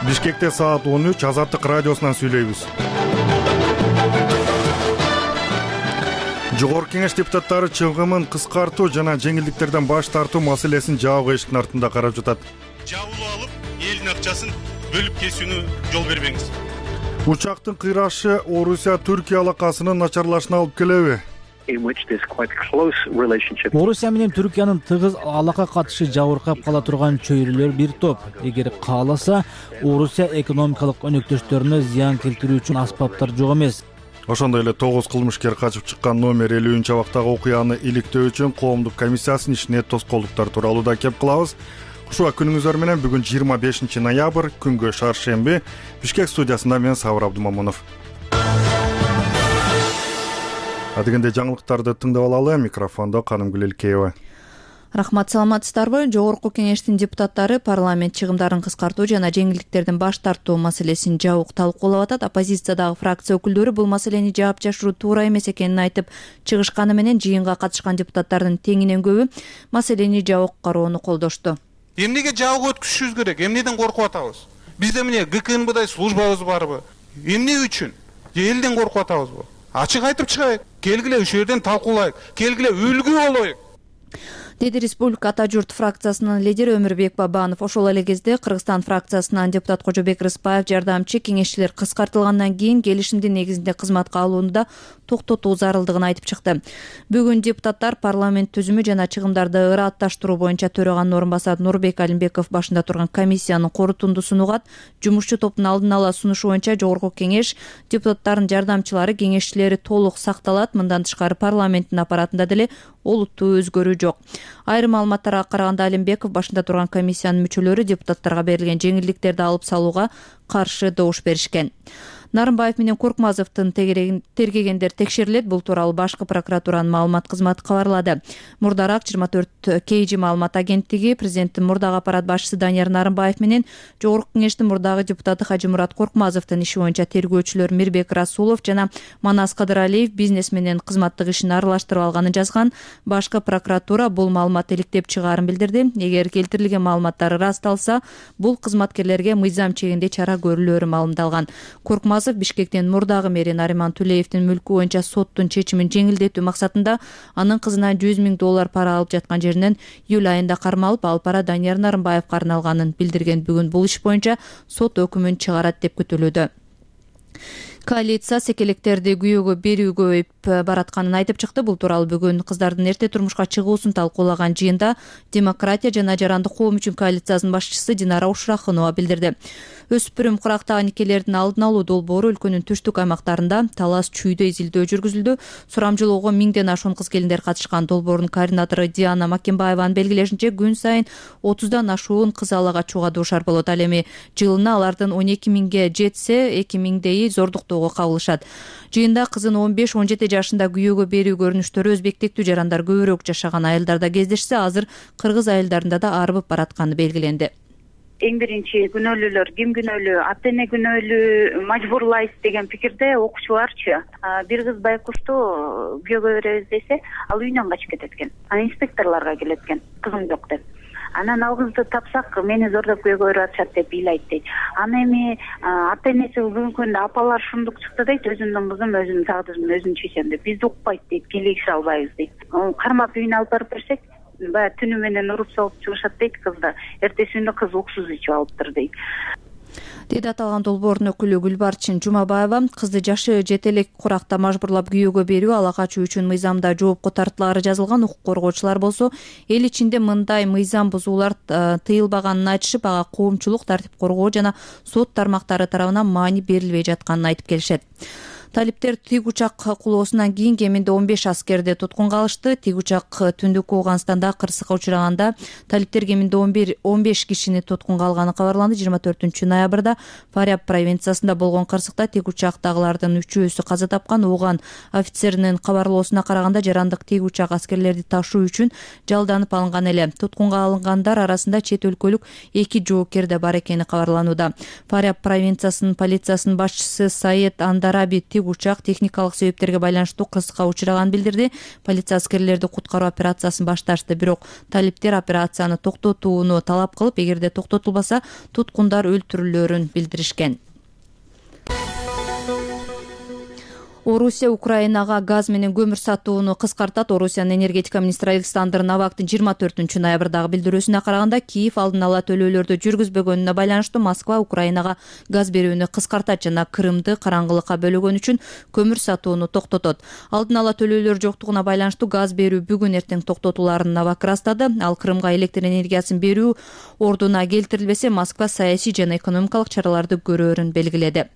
Бишкекте саат 13 Азаттык радиосунан сүйлөйбүз. Жогорку Кеңеш депутаттары чыгымын кыскартуу жана жеңилдиктерден баш тартуу маселесин жабык эшиктин артында карап жатат. Жабылып алып, элдин акчасын бөлүп кесүүнү жол бербеңиз. Учактын кыйрашы Орусия-Түркия алакасынын начарлашына алып келеби? Орусия менен Түркиянын тыгыз алака катышы жабыркап кала турган чөйрөлөр бир топ. Эгер кааласа, Орусия экономикалык өнөктөштөрүнө зыян келтирүүчү аспаптар жок эмес. Ошондой эле 9 кылмышкер качып чыккан номер 50-абактагы окуяны иликтөө үчүн коомдук комиссиясынын ишине тоскоолдуктар тууралуу да кеп кылабыз. Ушуга күнүңүздөр менен бүгүн 25 ноябрь күнгө шаршемби. Бишкек студиясында мен Сабыр Абдумамунов. Адегенде жаңылыктарды тыңдап алалы. Микрофондо Канымгүл Элкеева. Рахмат, саламатсыздарбы? Жогорку Кеңештин депутаттары парламент чыгымдарын кыскартуу жана жеңилдиктерден баш тартуу маселесин жабык талкуулап атат. Оппозициядагы фракция өкүлдөрү бул маселени жаап жашыруу туура эмес экенин айтып чыгышканы менен жыйынга катышкан депутаттардын теңинен көбү маселени жабык кароону колдошту. Эмнеге жабык өткүзүшүбүз керек? Эмнеден коркуп атабыз? Бизде эмне ГКНБдай службабыз барбы? Эмне үчүн? Элден коркуп атабызбы? Ачык айтып чыгайык. Келгиле ушул жерден талкуулайык. Келгиле үлгү болоюк. Деди Республика Ата журт фракциясынын лидери Өмүрбек Бабанов. Ошол эле кезде Кыргызстан фракциясынан депутат Кожобек Рыспаев жардамчы кеңешчилер кыскартылгандан кийин келишимдин негизинде кызматка алууну да токтотуу зарылдыгын айтып чыкты. Бүгүн депутаттар парламент түзүмү жана чыгымдарды ыратташтыруу боюнча төраганын орун басары Нурбек Алимбеков башында турган комиссиянын корутундусун угат. Жумушчу топтун алдын ала сунушу боюнча Жогорку Кеңеш депутаттардын жардамчылары, кеңешчилери толук сакталат. Мындан тышкары парламенттин аппаратында деле олуттуу өзгөрүү жок. Айрым маалыматтарга караганда Алимбеков башында турган комиссиянын мүчөлөрү депутаттарга берилген жеңилдиктерди алып салууга каршы добуш беришкен. Нарымбаев менен Коркмазовдун тергегендер текшерилет. Бул тууралуу башкы прокуратуранын маалымат кызматы кабарлады. Мурдараак 24 КЖ маалымат агенттиги президенттин мурдагы аппарат башчысы Данияр Нарымбаев менен Жогорку Кеңештин мурдагы депутаты Хажимурат Коркмазовдун иши боюнча тергөөчүлөр Мирбек Расулов жана Манас Кадыралиев бизнес менен кызматтык ишин аралаштырып алганын жазган. Башкы прокуратура бул маалымат иликтеп чыгаарын билдирди. Эгер келтирилген маалыматтар ырасталса, бул кызматкерлерге мыйзам чегинде чара көрүлөөрү маалымдалган. Коркмазов Бишкектин мурдагы мэри Нариман Тулеевдин мүлкү боюнча соттун чечимин жеңилдетүү максатында анын кызынан $100 000 пара алып жаткан жеринен июль айында кармалып, ал пара Данияр Нарымбаевга арналганын билдирген. Бүгүн бул иш боюнча сот өкүмүн чыгарат деп күтүлүүдө. Коалиция секелектерди күйөөгө берүүгө баратканын айтып чыкты. Бул тууралуу бүгүн кыздардын эрте турмушка чыгуусун талкуулаган жыйында Демократия жана Жарандык коом үчүн коалициясынын башчысы Динара Ушрахунова билдирди. Өспүрүм курактагы никелердин алдын алуу долбоору өлкөнүн түштүк аймактарында талас чүйдө изилдөө жүргүзүлдү. Сурамжылоого 1000ден ашуун кыз-келиндер катышкан. Долбоордун координатору Диана Макимбаеванын белгилешинче, күн сайын 30дан ашуун кыз ала качууга дуушар болот. Ал эми жылына алардын 12 000ге жетсе, 2 000дейи зордуктоого кабылышат. Жыйында кызын 15-17 жашында күйөөгө берүү көрүнүштөрү өзбектиктүү жарандар көбүрөөк жашаган айылдарда кездешсе, азыр кыргыз айылдарында да арбып баратканы белгиленди. Эң биринчи күнөөлүүлөр ким күнөөлүү, ата эне күнөөлүү, мажбурлайбыз деген пикирде окуучуларчы. Бир кыз байкушту күйөөгө беребиз десе, ал үйүнөн качып кетет экен. Анан инспекторлорго келет экен, кызым жок деп. Анан ал кызды тапсак, мени зордоп күйөөгө берип атышат деп ыйлайт дейт. Аны эми ата энеси бүгүнкү күндө апалар шундук чыкты дейт, өзүмдүн кызым өзүмдүн тагдырымды өзүм чечем деп. Бизди укпайт дейт, келишип албайбыз дейт. Кармап үйүнө алып барып берсек, баягы түнү менен уруп салып чыгышат дейт кызды. Эртеси күнү кыз уксуз ичип алыптыр дейт. Деди аталган долбоордун өкүлү Гүлбарчын Жумабаева. Кызды жашы жете элек куракта мажбурлап күйөөгө берүү, ала качуу үчүн мыйзамда жоопко тартуулары жазылган. Укук коргоочулар болсо эл ичинде мындай мыйзам бузуулар тыйылбаганын айтышып, ага коомчулук, тартип коргоо жана сот тармактары тарабынан маани берилбей жатканын айтып келишет. Талиптер тиг учак кулоосунан кийин кеминде 15 аскерди туткунга алышты. Тиг учак түндүк Ооганстанда кырсыкка учураганда талиптер кеминде 15 кишини туткунга алганы кабарланды. 24 ноябрда Фаряб провинциясында болгон кырсыкта тиг учактагылардын 3-өсү каза тапкан. Ооган офицеринин кабарлоосуна караганда, жарандык тиг учак аскерлерди ташуу үчүн жалданып алынган эле. Туткунга алынгандар арасында чет өлкөлүк 2 жоокер да бар экени кабарланууда. Фаряб провинциясынын полициясынын башчысы Саед Андараби учак техникалык себептерге байланыштуу кырсыкка учураганын билдирди. Полиция аскерлерди куткаруу операциясын башташты, бирок талиптер операцияны токтотууну талап кылып, эгерде токтотулбаса туткундар өлтүрүлөөрүн билдиришкен. Орусия Украинага газ менен көмүр сатууну кыскартат. Орусиянын энергетика министри Александр Новактын 24 ноябрдагы билдирүүсүнө караганда, Киев алдын ала төлөөлөрдү жүргүзбөгөнүнө байланыштуу Москва Украинага газ берүүнү кыскартат жана Крымды караңгылыкка бөлөгөн үчүн көмүр сатууну токтотот. Алдын ала төлөөлөр жоктугуна байланыштуу газ берүү бүгүн эртең токтотулаарын Новак ырастады. Ал Крымга электр энергиясын берүү ордуна келтирилбесе, Москва саясий жана экономикалык чараларды көрөөрүн белгиледи.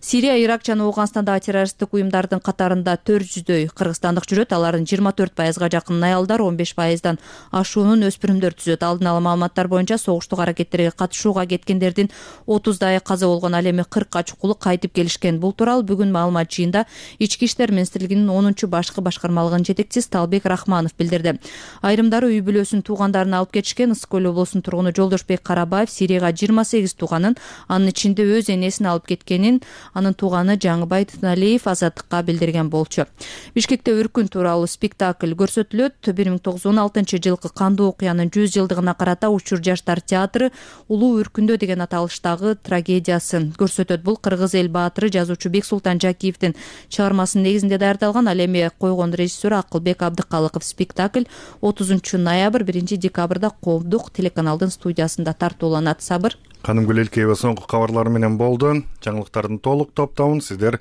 Сирия, Ирак жана Ооганстандагы террористтик уюмдардын катарында 400дөй кыргызстандык жүрөт. Алардын 24%га жакын аялдар, 15%дан ашуунун өспүрүмдөр түзөт. Алдын ала маалыматтар боюнча согуштук аракеттерге катышууга кеткендердин 30дайы каза болгон, ал эми 40ка чукулу кайтып келишкен. Бул тууралуу бүгүн маалымат жыйында Ички иштер министрлигинин 10 башкы башкармалыгынын жетекчиси Талбек Рахманов билдирди. Айрымдары үй бүлөсүн, туугандарын алып кетишкен. Ысык көл облусунун тургуну Жолдошбек Карабаев Сирияга 28 тууганын, анын ичинде өз энесин алып кеткенин анын тууганы Жаңыбай Тыналиев Азаттыкка билдирген болчу. Бишкекте өркүн тууралуу спектакль көрсөтүлөт. 1916 жылкы кандуу окуянын 100 жылдыгына карата Учур жаштар театры Улуу өркүндө деген аталыштагы трагедиясын көрсөтөт. Бул кыргыз эл баатыры жазуучу Бексултан Жакиевдин чыгармасынын негизинде даярдалган. Ал эми койгон режиссер Акылбек Абдыкалыков. Спектакль 30 ноябрь 1 декабрда Коомдук телеканалдын студиясында тартууланат. Сабыр. Канымгүл Элкеева соңку кабарлар менен болду. Жаңылыктардын толук топтомун сиздер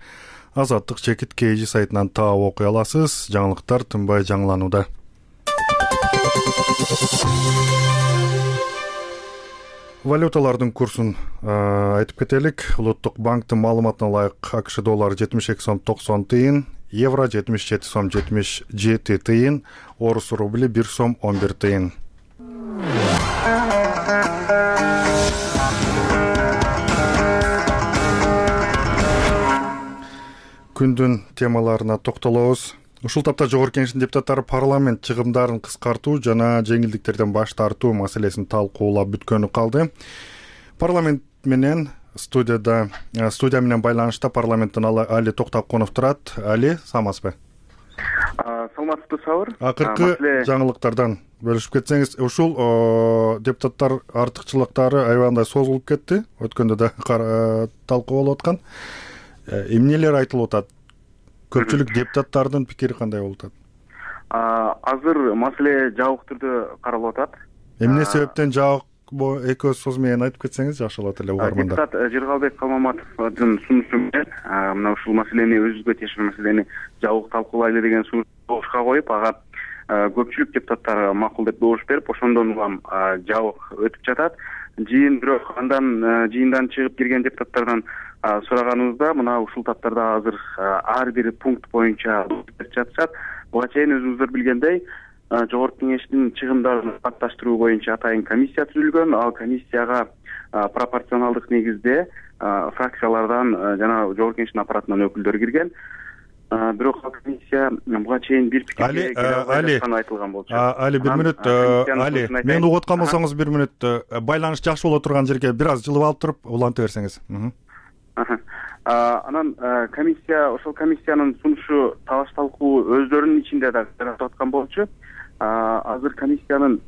Азаттык Чекит KG сайтынан таап окуй аласыз. Жаңылыктар тынбай жаңыланууда. Валюталардын курсун айтып кетелик. Улуттук банктын маалыматына ылайык АКШ доллары 72 сом 90 тыйын, евро 77 сом 77 тыйын, орус рубли 1 сом 11 тыйын. Күндүн темаларына токтолобуз. Ушул тапта Жогорку Кеңештин депутаттары парламент чыгымдарын кыскартуу жана жеңилдиктерден баш тартуу маселесин талкуулап бүткөнү калды. Парламент менен студия менен байланышта парламенттен Али Токтоконов турат. Али, саламатсызбы? Саламатсызбы, Сабыр. Акыркы жаңылыктардан бөлүшүп кетсеңиз, ушул депутаттар артыкчылыктары аябагандай созулуп кетти. Өткөндө да талкуу болуп аткан. Эмнелер айтылып атат? Көпчүлүк депутаттардын пикири кандай болуп атат? Азыр маселе жабык түрдө каралып атат. Эмне себептен жабык экөөбүз сөз менен айтып кетсеңиз жакшы болот эле угармандар. Депутат Жыргалбек Калмаматовдун сунушу менен мына ушул маселени өзүбүзгө тиешелүү маселени жабык талкуулайлы деген сунуш добушка коюп, ага көпчүлүк депутаттар макул деп добуш берип, ошондон улам жабык өтүп жатат. Жыйын бирок андан жыйындан чыгып кирген депутаттардан сураганыбызда мына ушул таптарда азыр ар бир пункт боюнча жатышат. Буга чейин өзүңүздөр билгендей, Жогорку Кеңештин чыгымдарын катташтыруу боюнча атайын комиссия түзүлгөн. Ал комиссияга пропорционалдык негизде фракциялардан жана Жогорку Кеңештин аппаратынан өкүлдөр кирген. Бирок комиссия буга чейин бир пикирге айтылган болчу. Али, бир мүнөт. Али, мен угуп аткан болсоңуз бир мүнөт. Байланыш жакшы боло турган жерге бир аз жылып алып туруп уланта берсеңиз. Анан комиссия, ошол комиссиянын сунушу талаш талкуу өздөрүнүн ичинде да жаратып аткан болчу. Азыр комиссиянын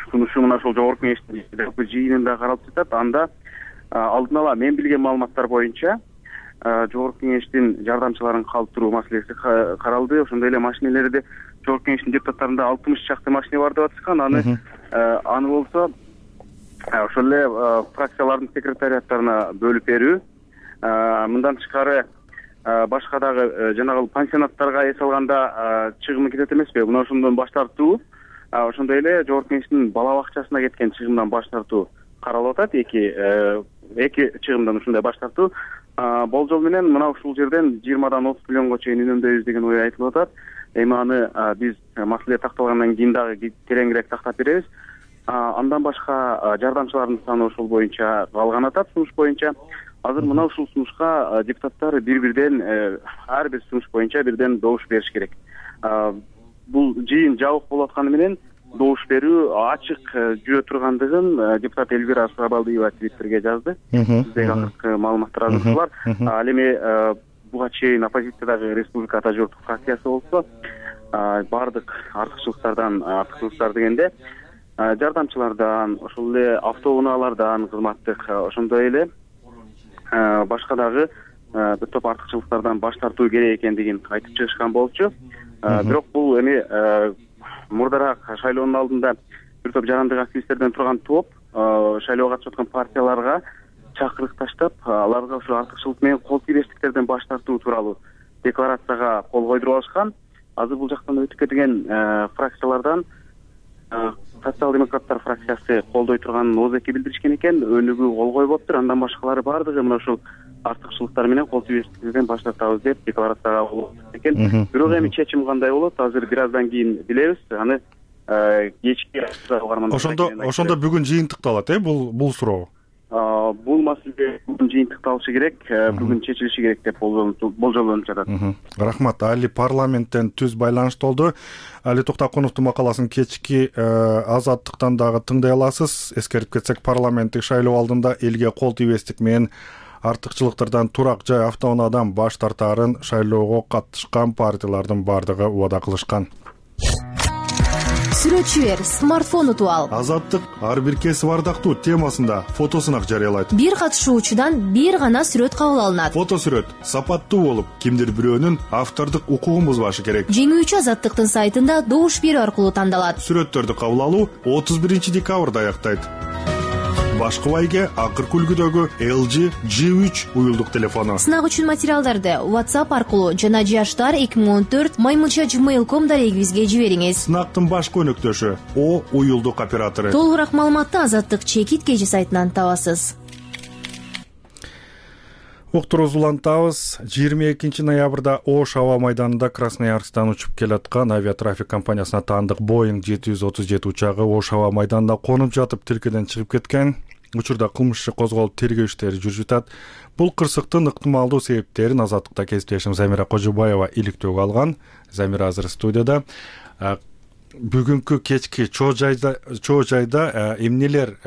сунушу мына ошол Жогорку Кеңештин жыйынында каралып жатат. Анда алдын ала мен билген маалыматтар боюнча Жогорку Кеңештин жардамчыларын калтыруу маселеси каралды. Ошондой эле машинелерди Жогорку Кеңештин депутаттарында 60 чакты машине бар деп атышкан. Аны болсо ошол эле фракциялардын секретариаттарына бөлүп берүү. Мындан тышкары башка дагы жанагы пансионаттарга эс алганда чыгымы кетет эмеспи? Мына ошондон баш тартуу. Ошондой эле Жогорку Кеңештин бала бакчасына кеткен чыгымдан баш тартуу каралып атат. Эки чыгымдан ушундай баш тартуу. Болжол менен мына ушул жерден 20дан 30 миллионго чейин үнөмдөйбүз деген ой айтылып атат. Эми аны биз маселе такталгандан кийин дагы тереңирээк тактап беребиз. Андан башка жардамчылардын саны ошол боюнча калган атат, сунуш боюнча. Азыр мына ушул сунушка депутаттар бир-бирден ар бир сунуш боюнча бирден добуш бериш керек. Бул жыйын жабык болуп атканы менен добуш берүү ачык жүрө тургандыгын депутат Элвира Сабалдиева Твиттерге жазды. Биздеги акыркы маалыматтар азыр бар. Ал эми буга чейин оппозициядагы Республика Ата журттук фракциясы болсо баардык артыкчылыктар дегенде жардамчылардан, ошол эле автоунаалардан кызматтык, ошондой эле башка дагы бир топ артыкчылыктардан баш тартуу керек экендигин айтып чыгышкан болчу. Бирок бул эми мурдараак шайлоонун алдында бир топ жарандык активисттерден турган топ шайлоого катышып аткан партияларга чакырык таштап, аларга ушул артыкчылык менен кол тийбештиктерден баш тартуу тууралуу декларацияга кол койдуруп алышкан. Азыр бул жактан өтүп кеткен фракциялардан социал-демократтар фракциясы колдой турганын ооз-эки билдиришкен экен, өнүгүү кол коюп атыптыр. Андан башкалары баардыгы мына ушул артыкчылыктар менен кол тийбештиктерден баш тартабыз деп декларацияга кол койду экен. Бирок эми чечим кандай болот, азыр бир аздан кийин билебиз. Аны кечки ошондо бүгүн жыйынтыкталат, бул суроо. Бул маселе бүгүн жыйынтыкталышы керек, бүгүн чечилиши керек деп болжолдонуп жатат. Рахмат. Али парламенттен түз байланышта болду. Али Токтокуновдун макаласын кечки Азаттыктан дагы тыңдай аласыз. Эскерип кетсек, парламенттик шайлоо алдында элге кол тийбестик менен артыкчылыктардан турак жай автоунаадан баш тартаарын шайлоого катышкан партиялардын баардыгы убада кылышкан. Сүрөтчү бер, смартфон утуп ал. Азаттык ар бир кесип ардактуу темасында фотосунак жарыялайт. Бир катышуучудан бир гана сүрөт кабыл алынат. Фотосүрөт сапаттуу болуп, кимдир бирөөнүн автордук укугун бузбашы керек. Жеңүүчү Азаттыктын сайтында добуш берүү аркылуу тандалат. Сүрөттөрдү кабыл алуу 31 декабрда аяктайт. Башкы байге акыркы үлгүдөгү LG G3 уюлдук телефону. Сынак үчүн материалдарды WhatsApp аркылуу жана jashtar2014@gmail.com дарегибизге жибериңиз. Сынактын башкы өнөктөшү О уюлдук оператору. Толугураак маалыматты Азаттык чекит кежи сайтынан табасыз. Уктуруубузду улантабыз. 22 ноябрда Ош аба майданында Красноярсктан учуп келаткан авиатрафик компаниясына таандык Boeing 737 учагы Ош аба майданында конуп жатып тилкеден чыгып кеткен. Учурда кылмыш иши козголуп тергөө иштери жүрүп жатат. Бул кырсыктын ыктымалдуу себептерин Азаттыкта кесиптешим Замира Кожобаева иликтөөгө алган. Замира азыр студияда. Бүгүнкү кечки чоо жайда эмнелер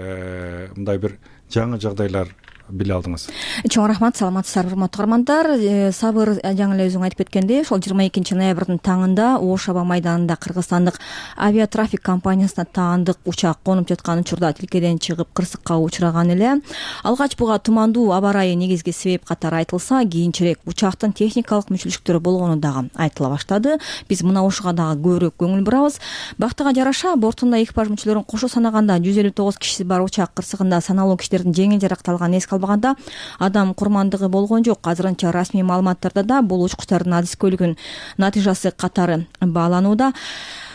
мындай бир жаңы жагдайлар биле алдыңыз? Чоң рахмат, саламатсыздарбы урматтуу каармандар. Сабыр жаңы эле өзүң айтып кеткендей, ошол 22 ноябрдын таңында Ош аба майданында кыргызстандык авиатрафик компаниясына таандык учак конуп жаткан учурда тилкеден чыгып кырсыкка учураган эле. Алгач буга тумандуу аба ырайы негизги себеп катары айтылса, кийинчерээк учактын техникалык мүчүлүктөрү болгону дагы айтыла баштады. Биз мына ушуга дагы көбүрөөк көңүл бурабыз. Бактыга жараша бортунда экипаж мүчөлөрүн кошо санаганда 159 кишиси бар учак кырсыгында саналуу кишилердин жеңил жаракталганы эске албаганда адам курмандыгы болгон жок. Азырынча расмий маалыматтарда да бул учкучтардын адискөйлүгүнүн натыйжасы катары бааланууда.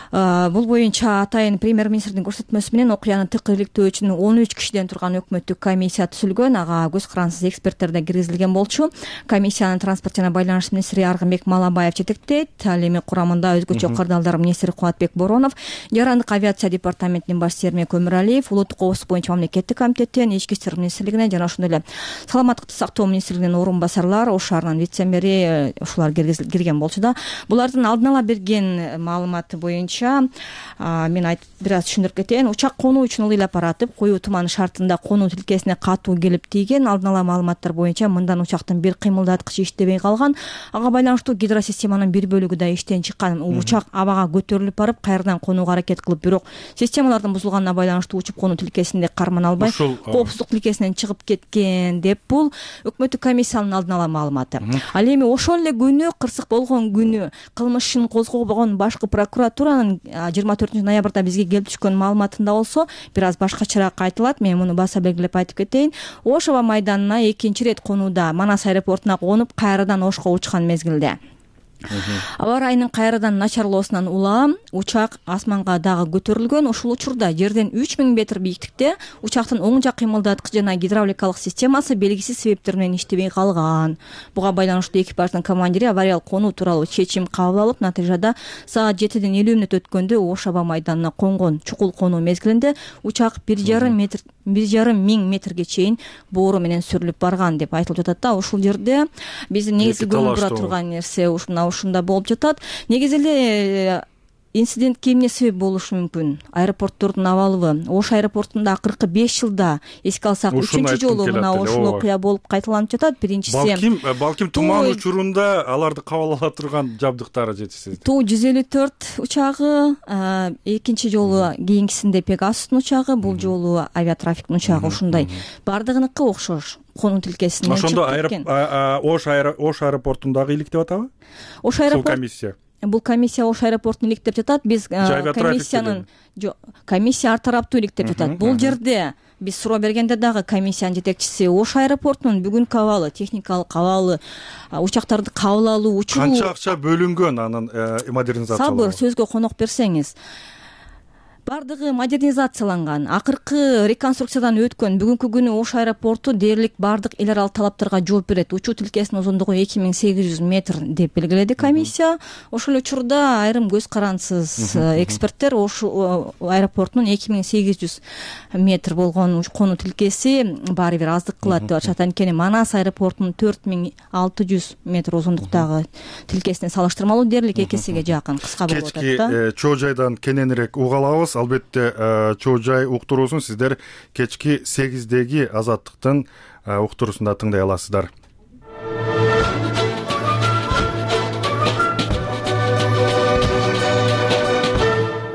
Бул боюнча атайын премьер-министрдин көрсөтмөсү менен окуяны тык иликтөө үчүн 13 кишиден турган өкмөттүк комиссия түзүлгөн. Ага көз карансыз эксперттер да киргизилген болчу. Комиссиянын транспорт жана байланыш министри Аргынбек Малабаев жетектейт. Ал эми курамында өзгөчө кырдаалдар министри Кубатбек Боронов, жарандык авиация департаментинин баш термек Өмүралиев, улуттук коопсуздук боюнча мамлекеттик комитеттен, ички иштер министрлигинен жана ошондой эле саламаттыкты сактоо министрлигинин орун басарлар, Ош шаарынын вице-мэри ушулар кирген болчу да. Булардын алдын ала берген маалыматы боюнча мен бир аз түшүндүрүп кетейин. Учак конуу үчүн ылыйлап баратып, коюу туман шартында конуу тилкесине катуу келип тийген. Алдын ала маалыматтар боюнча мындан учактын бир кыймылдаткычы иштебей калган. Ага байланыштуу гидросистеманын бир бөлүгү да иштен чыккан. Учак абага көтөрүлүп барып, кайрадан конууга аракет кылып, бирок системалардын бузулганына байланыштуу учуп конуу тилкесинде кармана албай, коопсуздук тилкесинен чыгып кеткен деп бул өкмөттүк комиссиянын алдын ала маалыматы. Ал эми ошол эле күнү, кырсык болгон күнү кылмыш ишин козгобогон башкы прокуратуранын 24 ноябрда бизге келип түшкөн маалыматында болсо бир аз башкачараак айтылат. Мен муну баса белгилеп айтып кетейин. Ош аба майданына экинчи ирет конууда Манас аэропортуна конуп, кайрадан Ошко учкан мезгилде аба ырайынын кайрадан начарлоосунан улам учак асманга дагы көтөрүлгөн. Ушул учурда жерден 3000 метр бийиктикте учактын оң жак кыймылдаткыч жана гидравликалык системасы белгисиз себептер менен иштебей калган. Буга байланыштуу экипаждын командири авариялык конуу тууралуу чечим кабыл алып, натыйжада саат 7ден 50 мүнөт өткөндө Ош аба майданына конгон. Чукул конуу мезгилинде учак 1,5 миң метрге чейин боору менен сүрүлүп барган деп айтылып жатат да. Ушул жерде биздин негизги көңүл бура турган нерсе ушунда болуп жатат. Негизи эле инцидентке эмне себеп болушу мүмкүн? Аэропорттордун абалыбы? Ош аэропортунда акыркы 5 жылда эске алсак 3-чү жолу мына ушул окуя болуп кайталанып жатат. Биринчиси балким туман учурунда аларды кабыл ала турган жабдыктары жетишсиз. Ту-154 учагы, экинчи жолу кийинкисинде Пегасустун учагы, бул жолу авиатрафиктин учагы ушундай. Бардыгыныкы окшош. Конун тилкесинен чыгып кеткен. Ошондо Ош аэропортундагы иликтеп атабы? Ош аэропорт Бул комиссия Ош аэропортун иликтеп жатат. Биз комиссия ар тараптуу иликтеп жатат. Бул жерде биз суроо бергенде дагы комиссиянын жетекчиси Ош аэропортунун бүгүнкү абалы, техникалык абалы, учактарды кабыл алуу учуру канча акча бөлүнгөн анын модернизациялоого? Сабыр, сөзгө конок берсеңиз. Бардыгы модернизацияланган, акыркы реконструкциядан өткөн. Бүгүнкү күнү Ош аэропорту дээрлик бардык эл аралык талаптарга жооп берет. Учуу тилкесинин узундугу 2800 метр деп белгиледи комиссия. Ошол учурда айрым көз карансыз эксперттер Ош аэропортунун 2800 метр болгон конуу тилкеси баары бир аздык кылат деп атышат. Анткени Манас аэропортунун 4600 метр узундуктагы тилкесине салыштырмалуу дээрлик 2 эсеге жакын кыска болуп атат да. Кечки чоо жайдан кененирээк уга алабыз. Албетте чоо жай уктуруусун сиздер кечки 8-деги Азаттыктын уктуруусунда тыңдай аласыздар.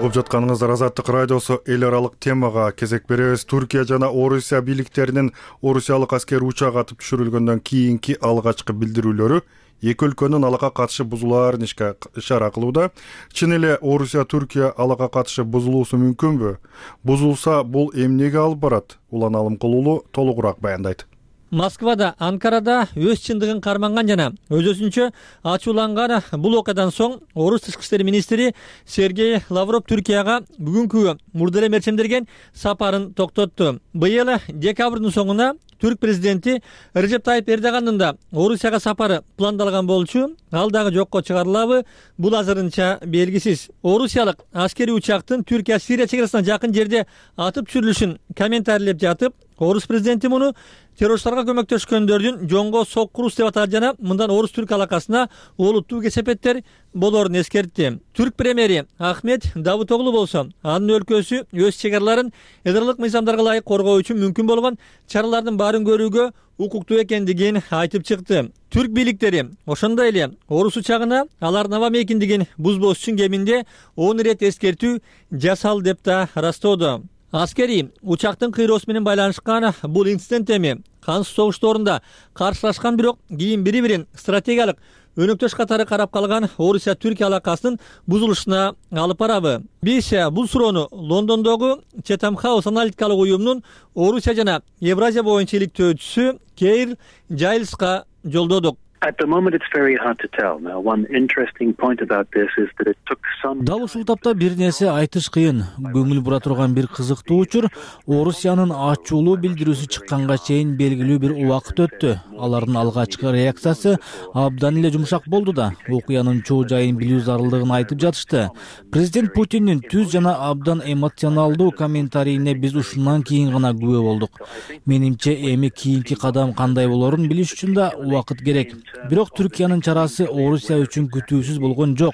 Угуп жатканыңыздар Азаттык радиосу. Эл аралык темага кезек беребиз. Түркия жана Орусия бийликтеринин орусиялык аскер учак атып түшүрүлгөндөн кийинки алгачкы билдирүүлөрү эки өлкөнүн алага катышы бузулаарын ишара кылууда. Чын эле Орусия Түркия алага катышы бузулуусу мүмкүнбү? Бузулса бул эмнеге алып барат? Улан Алымкулуулу толугураак баяндайт. Москвада, Анкарада өз чындыгын карманган жана өзүнчө ачууланган бул окуядан соң Орус тышкы иштер министри Сергей Лавров Түркияга бүгүнкү мурда эле мерчемдерген сапарын токтотту. Быйыл декабрдын соңуна Түрк президенти Режеп Тайип Эрдогандын да Орусияга сапары пландалган болчу. Ал дагы жокко чыгарылабы? Бул азырынча белгисиз. Орусиялык аскерий учактын Түркия-Сирия чек арасына жакын жерде атып түшүрүлүшүн комментарийлеп жатып, Орус президенти муну террористтарга көмөктөшкөндөрдүн жоңго соккурус деп атады жана мындан Орус-Түрк алакасына олуттуу кесепеттер болорун эскертти. Түрк премьери Ахмет Давутоглу болсо, анын өлкөсү өз чек араларын ядролук мыйзамдарга ылайык коргоо үчүн мүмкүн болгон чаралардын баарын көрүүгө укуктуу экендигин айтып чыкты. Түрк бийликтери ошондой эле Орус учагына алардын аба мейкиндигин бузбош үчүн кеминде 10 ирет эскертүү жасал деп да ырастоодо. Аскерий учактын кыйроосу менен байланышкан бул инцидент эми кансыз согуштоорунда каршылашкан, бирок кийин бири-бирин стратегиялык өнөктөш катары карап калган Орусия-Түркия алакасынын бузулушуна алып барабы? Биз бул суроону Лондондогу Chatham House аналитикалык уюмунун Орусия жана Евразия боюнча иликтөөчүсү Кейр Жайлска жолдодук. At the moment it's very hard to tell. Now one interesting point about this is that it took some Дал ушул тапта бир нерсе айтыш кыйын. Көңүл бура турган бир кызыктуу учур Орусиянын ачуулуу билдирүүсү чыкканга чейин белгилүү бир убакыт өттү. Алардын алгачкы реакциясы абдан эле жумшак болду да. Окуянын чоо жайын билүү зарылдыгын айтып жатышты. Президент Путиндин түз жана абдан эмоционалдуу комментарийине биз ушундан кийин гана күбө болдук. Менимче эми кийинки кадам кандай болорун билиш үчүн да убакыт керек. Бирок Түркиянын чарасы Орусия үчүн күтүүсүз болгон жок.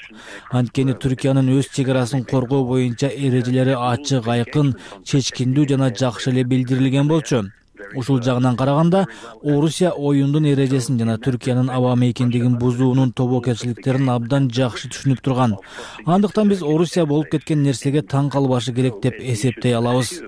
Анткени Түркиянын өз чек арасын коргоо боюнча эрежелери ачык, айкын, чечкиндүү жана жакшы эле билдирилген болчу. Ушул жагынан караганда Орусия оюндун эрежесин жана Түркиянын аба мейкиндигин бузуунун тобокелчиликтерин абдан жакшы түшүнүп турган. Андыктан биз Орусия болуп кеткен нерсеге таң калбашы керек деп эсептей алабыз.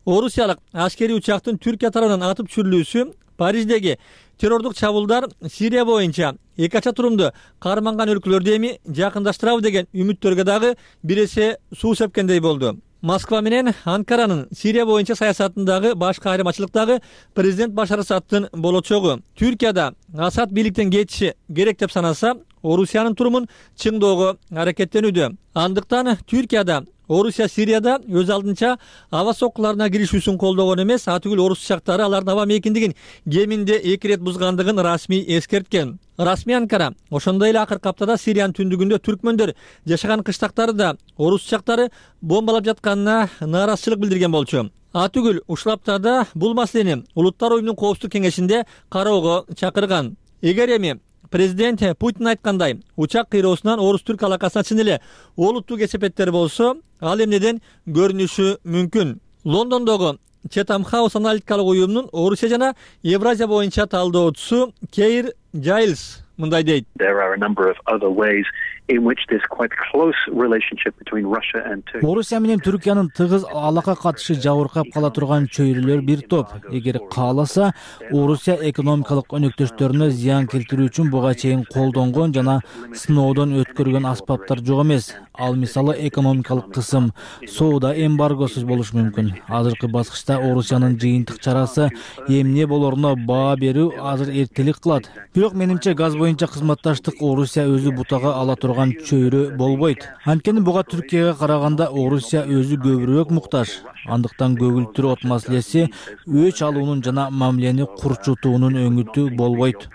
Орусиялык аскерий учактын Түркия тарабынан атып түшүрүлүүсү Париждеги террордук чабуулдар Сирия боюнча эки ача турумду карманган өлкөлөрдү эми жакындаштырабы деген үмүттөргө дагы бир эсе суу сепкендей болду. Москва менен Анкаранын Сирия боюнча саясатындагы башка айырмачылык президент Башар Асадтын болочогу. Түркияда Асад бийликтен кетиши керек деп санаса, Орусиянын турумун чыңдоого аракеттенүүдө. Андыктан Түркияда Орусия Сирияда өз алдынча аба соккуларына киришүүсүн колдогон эмес, атүгүл орус учактары алардын аба мейкиндигин кеминде 2 рет бузгандыгын расмий эскерткен. Расмий Анкара ошондой эле акыркы аптада Сириянын түндүгүндө түркмөндөр жашаган кыштактарды орус учактары бомбалап жатканына нааразычылык билдирген болчу. Атүгүл ушул аптада бул маселени Улуттар уюмунун коопсуздук кеңешинде кароого чакырган. Эгер эми президент Путин айткандай, учак кыйроосунан орус-түрк алакасына чын эле олуттуу кесепеттер болсо, ал эмнеден көрүнүшү мүмкүн. Лондондогу Chatham House аналитикалык уюмунун Орусия жана Евразия боюнча талдоочусу Кейр Жайлс мындай дейт. There are a number of other ways in which this quite close relationship between Russia and Turkey. Орусия менен Түркиянын тыгыз алака катышы жабыркап кала турган чөйрөлөр бир топ. Эгер кааласа, Орусия экономикалык өнөктөштөрүнө зыян келтирүү үчүн буга чейин колдонгон жана сыноодон өткөргөн аспаптар жок эмес. Ал мисалы экономикалык кысым, соода эмбаргосу болушу мүмкүн. Азыркы баскычта Орусиянын жыйынтык чарасы эмне болоруна баа берүү азыр эртелик кылат. Бирок менимче газ боюнча кызматташтык Орусия өзү бутага ала турган чөйрө болбойт. Анткени буга Түркияга караганда Орусия өзү көбүрөөк муктаж. Андыктан көгүлтүр от маселеси өч алуунун жана мамилени курчутуунун өңүтү болбойт.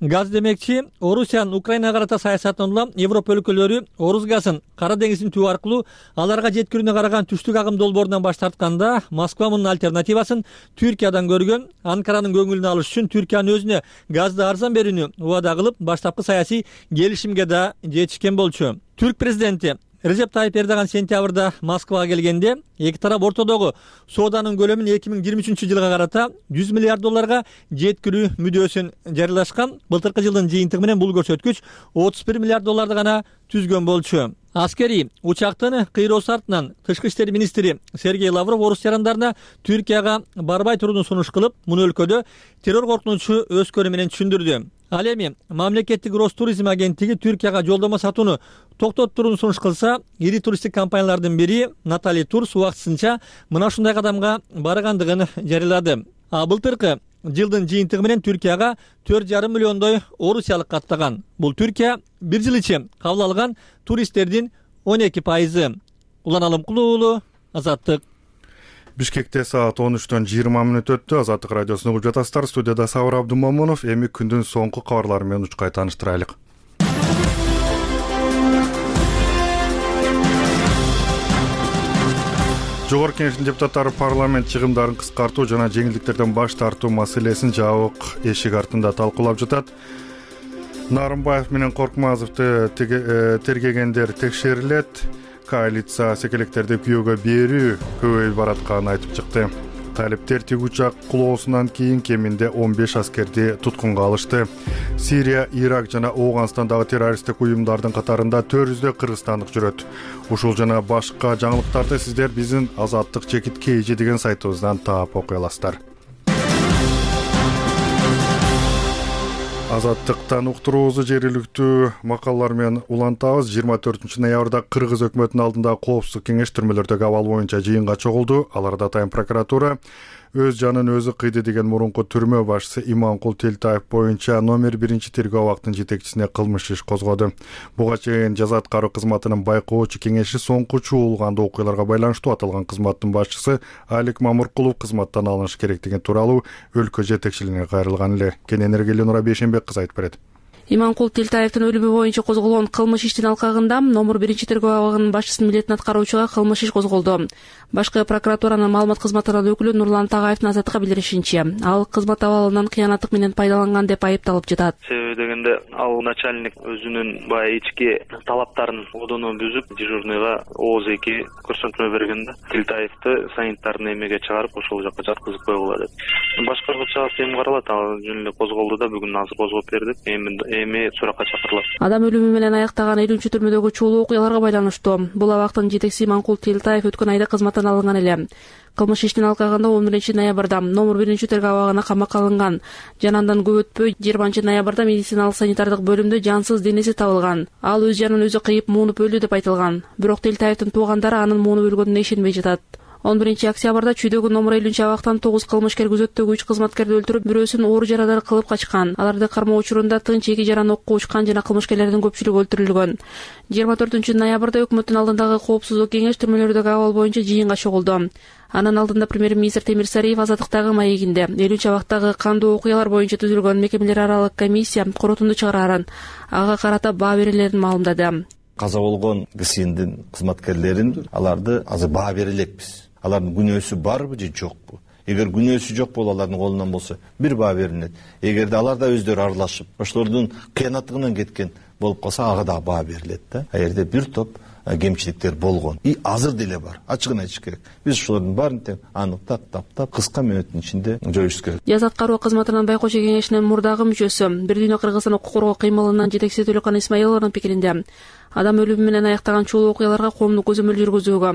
Газ демекчи, Орусиянын Украинага карата саясатынан улам Европа өлкөлөрү Орус газын Кара деңиздин түбү аркылуу аларга жеткирүүнө караган түштүк агым долбоорунан баш тартканда, Москва мунун альтернативасын Түркиядан көргөн. Анкаранын көңүлүн алыш үчүн Түркиянын өзүнө газды арзан берүүнү убада кылып, баштапкы саясий келишимге да жетишкен болчу. Түрк президенти Режеп Тайип Эрдоган сентябрда Москвага келгенде, эки тарап ортодогу сооданын көлөмүн 2023 жылга карата 100 миллиард долларга жеткирүү мүдөөсүн жарыялашкан. Былтыркы жылдын жыйынтыгы менен бул көрсөткүч 31 миллиард долларды гана түзгөн болчу. Аскери учактын кыйроосу артынан тышкы иштер министри Сергей Лавров орус жарандарына Түркияга барбай турууну сунуш кылып, муну өлкөдө террор коркунучу өскөнү менен түшүндүрдү. Ал эми мамлекеттик Ростуризм агенттиги Түркияга жолдомо сатууну токтоттурууну сунуш кылса, ири туристтик компаниялардын бири Натали Турс убактысынча мына ушундай кадамга баргандыгын жарыялады. Былтыркы жылдын жыйынтыгы менен Түркияга 4,5 миллиондой орусиялык каттаган. Бул Түркия бир жыл ичи кабыл алган туристтердин 12%. Улан Алымкулуу уулу, Азаттык. Бишкекте саат 13-төн 20 мүнөт өттү. Азаттык радиосун угуп жатасыздар. Студияда Сабыр Абдумамунов. Эми күндүн соңку кабарлары менен учкай тааныштырайлык. Жогорку Кеңештин депутаттары парламент чыгымдарын кыскартуу жана жеңилдиктерден баш тартуу маселесин жабык эшик артында талкуулап жатат. Нарымбаев менен Коркмазовду тергегендер текшерилет. Коалиция секелектерди күйөөгө берүү көбөйүп баратканын айтып чыкты. Талиптер тиг учак кулоосунан кийин кеминде 15 аскерди туткунга алышты. Сирия, Ирак жана Ооганстандагы террористтик уюмдардын катарында 400 кыргызстандык жүрөт. Ушул жана башка жаңылыктарды сиздер биздин Азаттык чекит KG деген сайтыбыздан таап окуй аласыздар. Азаттыктан уктуруубузду жергиликтүү макалалар менен улантабыз. 24 ноябрда Кыргыз өкмөтүнүн алдында коопсуздук кеңеш түрмөлөрдөгү абал боюнча жыйынга чогулду. Аларда Атайын прокуратура өз жанын өзү кыйды деген мурунку түрмө башчысы Иманкул Телтаев боюнча номер 1 тергөө абактын жетекчисине кылмыш иш козгоду. Буга чейин жаза аткаруу кызматынын байкоочу кеңеши соңку чуулгандуу окуяларга байланыштуу аталган кызматтын башчысы Алик Мамуркулов кызматтан алынышы керектиги тууралуу өлкө жетекчилигине кайрылган эле. Кененерге Ленура Бейшенбек кызы айтып берет. Иманкул Телтаевдин өлүмү боюнча козголгон кылмыш иштин алкагында номер 1 тергөө абагынын башчысынын милдетин аткаруучуга кылмыш иш козголду. Башкы прокуратуранын маалымат кызматынын өкүлү Нурлан Тагаевдин Азаттыкка билдиришинче, ал кызмат абалынан кыянаттык менен пайдаланган деп айыпталып жатат. Себеби дегенде ал начальник өзүнүн баягы ички талаптарын одоно бүзүп, дежурныйга ооз-2 көрсөтмө бергенде Телтаевди санитарный эмеге чыгарып, ошол жака жаткызып койгула деп. Башкаргыча эми каралат, ал жөн эле козголду да, бүгүн азыр козгоп бердик. Эми суракка чакырылат. Адам өлүмү менен аяктаган 50-түрмөдөгү чуулуу окуяларга байланыштуу. Бул абактын жетекчиси Иманкул Телтаев өткөн айда кызматтан алынган эле. Кылмыш иштин алкагында 11 ноябрда номер 1 тергөө абагына камакка алынган. Жана андан көп өтпөй 20 ноябрда медициналык санитардык бөлүмдө жансыз денеси табылган. Ал өз жанын өзү кыйып муунуп өлдү деп айтылган. Бирок Телтаевдин туугандары анын муунуп өлгөнүнө ишенбей жатат. 11 октябрда Чүйдөгү номер 50 абактан 9 кылмышкер күзөттөгү 3 кызматкерди өлтүрүп, бирөөсүн оор жарадар кылып качкан. Аларды кармоо учурунда тынч 2 жараны окко учкан жана кылмышкерлердин көпчүлүгү өлтүрүлгөн. 24 ноябрда өкмөттүн алдындагы коопсуздук кеңеш түрмөлөрдөгү абал боюнча жыйынга чогулду. Анын алдында премьер-министр Темир Сариев Азаттыктагы маегинде 50 абактагы кандуу окуялар боюнча түзүлгөн мекемелер аралык комиссия корутунду чыгарарын, ага карата баа берилерин маалымдады. Каза болгон КСИНдин кызматкерлерин аларды азыр баа бере элекпиз. Алардын күнөөсү барбы же жокпу? эгер күнөөсү жок болуп алардын колунан болсо бир баа берилет. Эгерде алар да өздөрү аралашып ошолордун кыянаттыгынан кеткен болуп калса ага да баа берилет да. А жерде бир топ кемчиликтер болгон и азыр деле бар. Ачыгын айтыш керек. Биз ошолордун баарын тең аныктап, таптап, кыска мөөнөттүн ичинде жоюш керек. Жаза аткаруу кызматынын байкоочу кеңешинин мурдагы мүчөсү, Бир дүйнө Кыргызстан укук коргоо кыймылынын жетекчиси Төлөкан Исмаилованын пикиринде, адам өлүмү менен аяктаган чулуу окуяларга коомдук көзөмөл жүргүзүүгө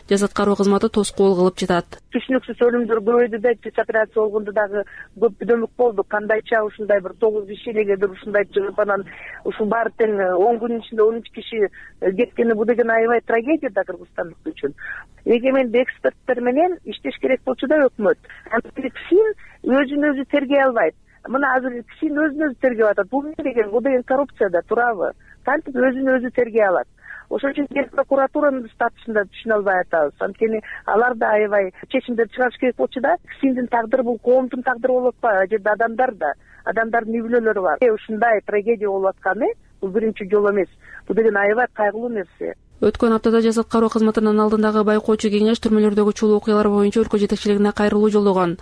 жаза аткаруу кызматы тоскоол кылып жатат. Түшүнүксүз өлүмдөр көбөйдү да, операция болгондо дагы көп дөмөк болду. Кандайча ушундай бир 9 киши элегедир ушундай чыгып анан ушул баары тең 10 күнүн ичинде 13 киши кеткени бул деген аябай трагедия да кыргызстандык үчүн. Эгемендүү эксперттер менен иштеш керек болчу да өкмөт. КСИН өзүн өзү тергей албайт. Мына азыр КСИН өзүн өзү тергеп атат. Бул деген коррупция да, туурабы? Кантип өзүн өзү тергей алат? Ошон үчүн Эл прокуратуранын статусун да түшүнө албай атабыз. Анткени алар да аябай чечимдер чыгарыш керек болчу да. КСИНдин тагдыры бул коомдун тагдыры болуп атпайбы? Ал жерде адамдар да, адамдардын үй бүлөлөрү бар. Ушундай трагедия болуп атканы бул биринчи жолу эмес. Бул деген аябай кайгылуу нерсе. Өткөн аптада жаза аткаруу кызматынын алдындагы байкоочу кеңеш түрмөлөрдөгү чулуу окуялар боюнча өлкө жетекчилигине кайрылуу жолдогон.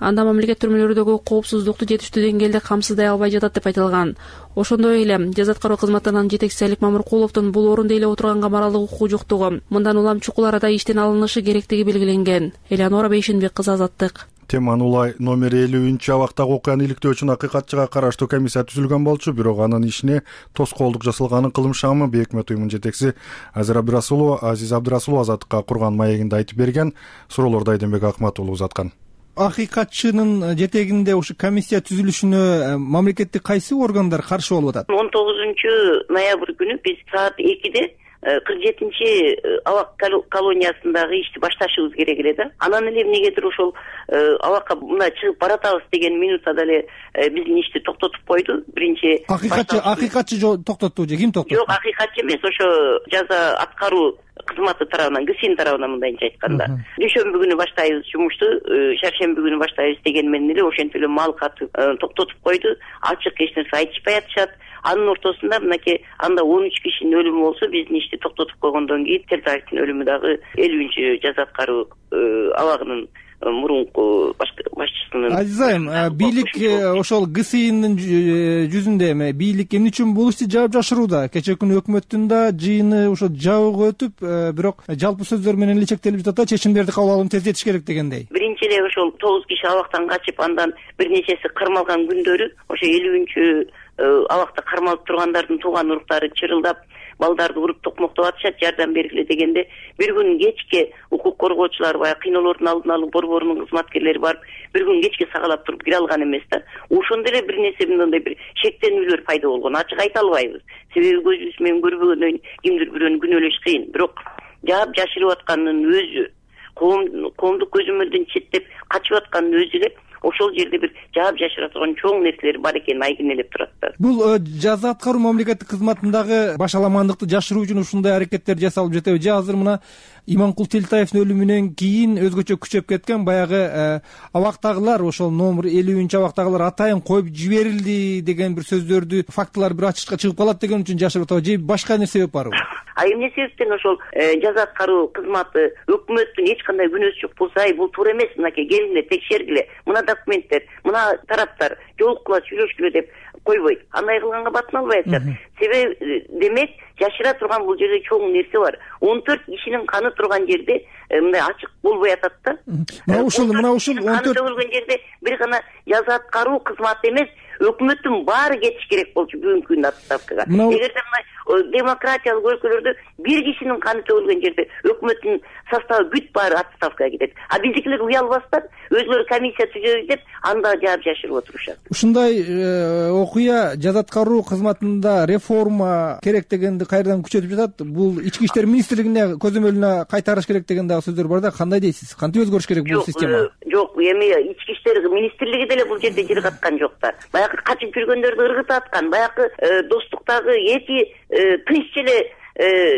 Анда мамлекет түрмөлөрдөгү коопсуздукту жетиштүү деңгээлде камсыздай албай жатат деп айтылган. Ошондой эле жаза аткаруу кызматынын жетекчиси Алик Мамыркуловдун бул орунда эле отурганга моралдык укугу жоктугу, мындан улам чукул арада иштен алынышы керектиги белгиленген. Элеонора Бейшенбек кызы, Азаттык. Теманы улай номер 50 абактагы окуяны иликтөө үчүн акыйкатчыга караштуу комиссия түзүлгөн болчу, бирок анын ишине тоскоолдук жасалганын кылым шамы Бейөкмөт уюмунун жетекчиси Азиз Абдырасулова Азаттыкка курган маегинде айтып берген. Суроолорду Айденбек Акматулов узаткан. Акыйкатчынын жетегинде ушу комиссия түзүлүшүнө мамлекеттик кайсы органдар каршы болуп атат? 19 ноябрь күнү биз саат 2-де 47 абак колониясындагы ишти башташыбыз керек эле да. Анан эле эмнегедир ошол абакка мына чыгып баратабыз деген минутада эле биздин ишти токтотуп койду. Биринчи акыйкатчы токтотту же ким токтотту? Жок, акыйкатчы эмес, ошо жаза аткаруу кызматы тарабынан, КСИН тарабынан мындайча айтканда. Дүйшөмбү күнү баштайбыз жумушту, шаршемби күнү баштайбыз деген менен эле ошентип эле мал катып токтотуп койду. Ачык эч нерсе айтышпай атышат. Анын ортосунда мынакей анда 13 кишинин өлүмү болсо, биздин ишти токтотуп койгондон кийин Телтаевдин өлүмү дагы 50 жаза аткаруу абагынын мурунку башчысынын. Азиз айым, бийлик ошол КСИНдин жүзүндө эми бийлик эмне үчүн бул ишти жаап жашырууда? Кечээ күнү өкмөттүн да жыйыны ошо жабык өтүп, бирок жалпы сөздөр менен эле чектелип жатат, чечимдерди кабыл алууну тездетиш керек дегендей. Биринчи эле ошол 9 киши абактан качып, андан бир нечеси кармалган күндөрү ошо 50 абакта кармалып тургандардын тууган уруктары чырылдап, балдарды уруп токмоктоп атышат, жардам бергиле дегенде, бир күн кечке укук коргоочулар баягы кыйноолордун алдын алуу борборунун кызматкерлери барып, бир күн кечке сагалап туруп кире алган эмес да. Ошондо эле бир нерсе мындай бир шектенүүлөр пайда болгон. Ачык айта албайбыз. Себеби көзүбүз менен көрбөгөндөн кийин кимдир бирөөнү күнөөлөш кыйын. Бирок жаап жашырып атканынын өзү, коомдук көзөмөлдөн четтеп качып атканынын өзү эле ошол жерде бир жаап жашыра турган чоң нерселер бар экенин айгинелеп турат да. Бул жаза аткаруу мамлекеттик кызматындагы башаламандыкты жашыруу үчүн ушундай аракеттер жасалып жатабы? Же азыр мына Иманкул Телтаевдин өлүмүнөн кийин өзгөчө күчөп кеткен баягы абактагылар, ошол номер 50 абактагылар атайын коюп жиберилди деген бир сөздөрдү, фактылар бир ачышка чыгып калат деген үчүн жашырып атабы? Же башка эмне себеп барбы? Эмне себептен ошол жаза аткаруу кызматы өкмөттүн эч кандай күнөөсү жок болсо, бул туура эмес, мынакей келгиле, текшергиле, мына документтер, мына тараптар жолуккула, сүйлөшкүлө деп койбойт. Андай кылганга батын албай атышат. Себеби демек жашыра турган бул жерде чоң нерсе бар. 14 кишинин каны турган жерде мындай ачык болбой атат да. Мына ушул 14 төгүлгөн жерде бир гана жаза аткаруу кызматы эмес, өкмөттүн баары кетиш керек болчу бүгүнкү күндө отставкага. Эгерде мына демократиялык өлкөлөрдө бир кишинин каны төгүлгөн жерде өкмөттүн составы бүт баары отставкага кетет. А биздикилер уялбастан өзүлөрү комиссия түзөбүз деп анда жаап жашырып отурушат. Ушундай окуя жаза аткаруу кызматында реформа керек дегенди кайрадан күчөтүп жатат. Бул ички иштер министрлигине көзөмөлүнө кайтарыш керек деген дагы сөздөр бар да. Кандай дейсиз? Кантип өзгөрүш керек бул система? Жок, эми ички иштер министрлиги деле бул жерде жыргаткан жок да. Баягы качып жүргөндөрдү ыргытып аткан, баягы достуктагы эки тынч эле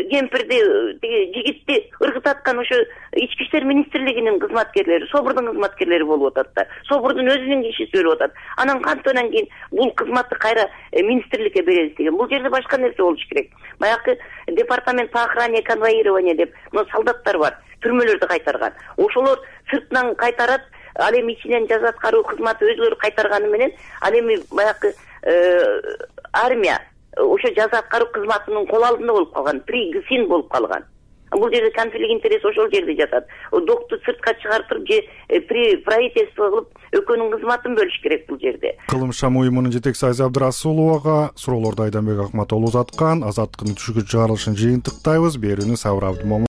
кемпирди, жигитти ыргытып аткан ошо ички иштер министрлигинин кызматкерлери, СОБРдун кызматкерлери болуп атат да. СОБРдун өзүнүн кишиси өлүп атат. Анан кантынан кийин бул кызматты кайра министрликке беребиз деген. Бул жерде башка нерсе болуш керек. Баягы департамент по охране и конвоированию деп солдаттар бар, түрмөлөрдү кайтарган. Ошолор сыртынан кайтарат, ал эми ичинен жаза аткаруу кызматы өзүлөрү кайтарганы менен ал эми баягы армия ошо жаза аткаруу кызматынын кол алдында болуп калган, пригсин болуп калган. Бул жерде конфликт интерес ошол жерде жатат. Докту сыртка чыгартып же при правительство кылып экөөнүн кызматын бөлүш керек бул жерде. Кылым шам уюмунун жетекчиси Айза Абдрасуловага суроолорду Айданбек Акматоğlu узаткан. Азаттыктын түшүккө чыгарылышын жыйынтыктайбыз. Берүүнү Сабыр Абдымомун